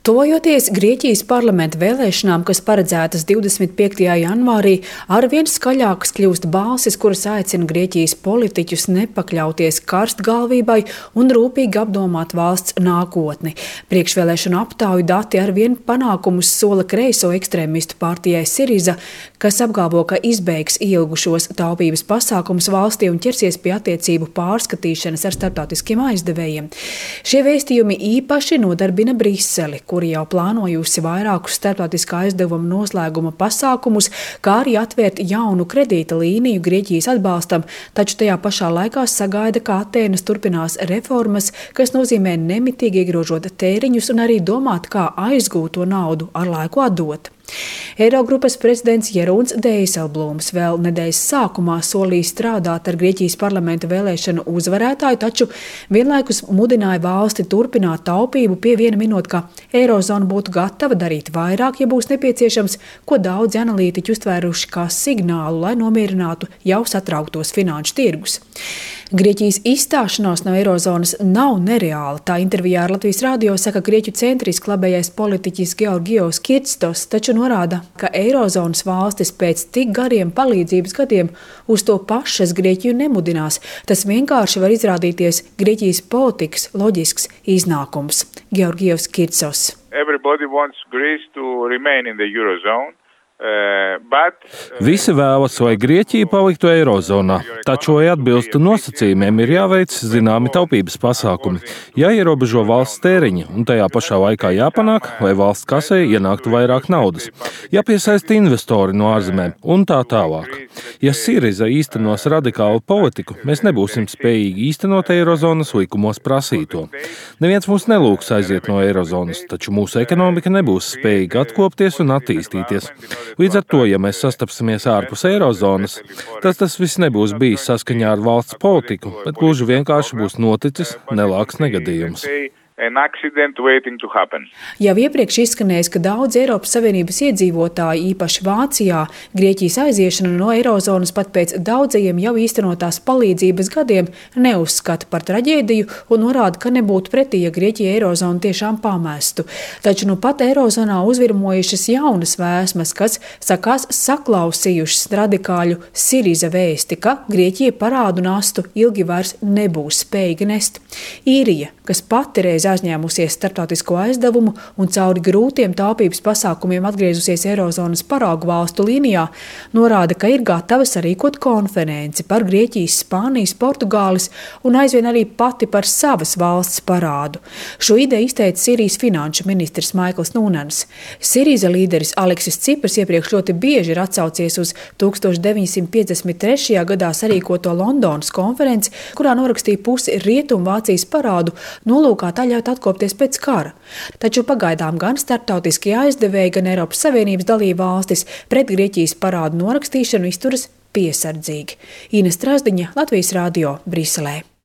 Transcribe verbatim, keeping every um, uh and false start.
Tuvojoties Grieķijas parlamenta vēlēšanām, kas paredzētas divdesmit piektajā janvārī, arvien skaļākas kļūst balsis, kuras aicina Grieķijas politiķus nepakļauties karstgalvībai un rūpīgi apdomāt valsts nākotni. Priekšvēlēšanu aptauju dati arvien panākumus sola kreiso ekstrēmistu partijai Siriza, kas apgalvo, ka izbeigs ilgušos taupības pasākumus valstī un ķersies pie attiecību pārskatīšanas ar starptautiskiem aizdevējiem. Šie vēstījumi īpaši nodarbina Briseli, kuri jau plānojusi vairākus starptautiskā aizdevuma noslēguma pasākumus, kā arī atvērt jaunu kredīta līniju Grieķijas atbalstam, taču tajā pašā laikā sagaida, ka Atēnas turpinās reformas, kas nozīmē nemitīgi iegrožot tēriņus un arī domāt, kā aizgūt to naudu ar laiku atdot. Eirogrupas prezidents Jeroens Dijsselbloems vēl nedēļas sākumā solīja strādāt ar Grieķijas parlamenta vēlēšanu uzvarētāju, taču vienlaikus mudināja valsti turpināt taupību, pievienot, ka Eirozona būtu gatava darīt vairāk, ja būs nepieciešams, ko daudzi analītiķi uztvēruši kā signālu, lai nomierinātu jau satrauktos finanšu tirgus. Grieķijas izstāšanās no Eirozonas nav nereāla. Tā intervijā ar Latvijas radio saka grieķu centriski labējais politiķis Georgios Kirtstos, taču norāda, ka Eirozonas valstis pēc tik gariem palīdzības gadiem uz to pašas Grieķiju nemudinās. Tas vienkārši var izrādīties Grieķijas politikas loģisks iznākums. Georgios Kirtsos. Everybody wants Greece to remain in the Eurozone. Uh, but, uh, Visi vēlas, lai Grieķija paliktu Eirozonā, taču, lai atbilstu nosacījumiem, ir jāveic zināmi taupības pasākumi, jāierobežo valsts tēriņi un tajā pašā laikā jāpanāk, lai valsts kasē ienāktu vairāk naudas, jāpiesaista investori no ārzemēm un tā tālāk. Ja Siriza īstenos radikālu politiku, mēs nebūsim spējīgi īstenot Eirozonas likumos prasīto. Neviens mūs nelūgs aiziet no Eirozonas, taču mūsu ekonomika nebūs spējīga atkopties un attīstīties. Līdz ar to, ja mēs sastapsimies ārpus Eirozonas, tad tas viss nebūs bijis saskaņā ar valsts politiku, bet gluži vienkārši būs noticis nelāks negadījums. Jau iepriekš izskanējis, ka daudz Eiropas Savienības iedzīvotāji, īpaši Vācijā, Grieķijas aiziešanu no Eirozonas pat pēc daudzajiem jau īstenotās palīdzības gadiem neuzskata par traģēdiju un norāda, ka nebūtu pretī, ja Grieķija Eirozonu tiešām pamestu. Taču nu pat Eirozonā uzvirmojušas jaunas vēsmas, kas sakās saklausījušas radikāļu Siriza vēsti, ka Grieķija parādu nastu ilgi vairs nebūs spējīga nest. Īrija, kas pati reiz aizņēmusies starptautisko aizdevumu un cauri grūtiem taupības pasākumiem atgriezusies Eirozonas paraugu valstu līnijā, norāda, ka ir gatava sarīkot konferenci par Grieķijas, Spānijas, Portugāles un aizvien arī pati par savas valsts parādu. Šo ideju izteica Sīrijas finanšu ministrs Maikls Nunans. Siriza līderis Aleksis Cipras iepriekš ļoti bieži ir atsaucies uz tūkstoš deviņsimt piecdesmit trešajā gadā sarīkoto Londonas konferenci, kurā norakstīja pusi Rietumvācijas parādu, nolūkā tā ļaut atkopties pēc kara. Taču pagaidām gan starptautiskie aizdevēji, gan Eiropas Savienības dalība valstis pret Grieķijas parādu norakstīšanu izturas piesardzīgi. Ines Trasdiņa, Latvijas radio, Briselē.